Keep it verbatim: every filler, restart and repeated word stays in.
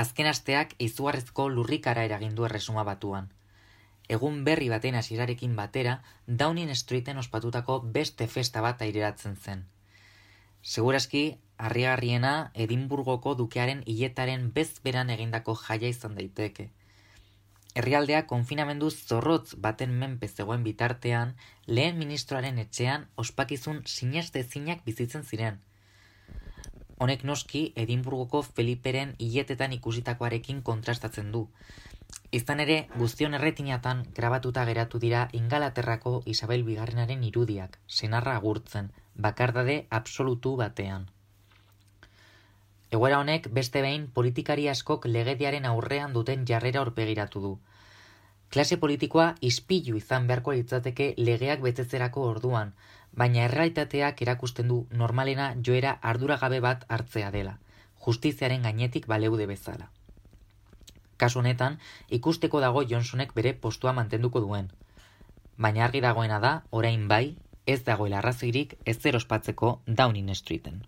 Azken asteak izugarrizko lurrikara eragin du Erresuma Batuan. Egun berri baten hasierarekin batera, Downing Streeten ospatutako beste festa bat aireratzen zen. Segurazki, harrigarriena Edinburgoko dukearen hiletaren bezberan egindako jaia izan daiteke. Herrialdea konfinamendu zorrotz baten menpe zegoen bitartean, lehen ministroaren etxean ospakizun sinestezinak bizitzen ziren. Honek noski Edinburgoko Feliperen hiletetan ikusitakoarekin kontrastatzen du. Izan ere, guztion erretinatan grabatuta geratu dira Ingalaterrako Isabel Bigarrenaren irudiak, senarra agurtzen, bakardade absolutu batean. Egoera honek beste behin politikari askok legediaren aurrean duten jarrera aurpegiratu du. Klase politikoa ispilu izan beharko litzateke legeak betetzerako orduan, baina errealitateak erakusten du normalena joera arduragabe bat hartzea dela, justiziaren gainetik baleude bezala. Kasu honetan, ikusteko dago Johnsonek bere postua mantenduko duen. Baina argi dagoena da, orain bai, ez dagoela arrazoirik ezer ospatzeko Downing Streeten.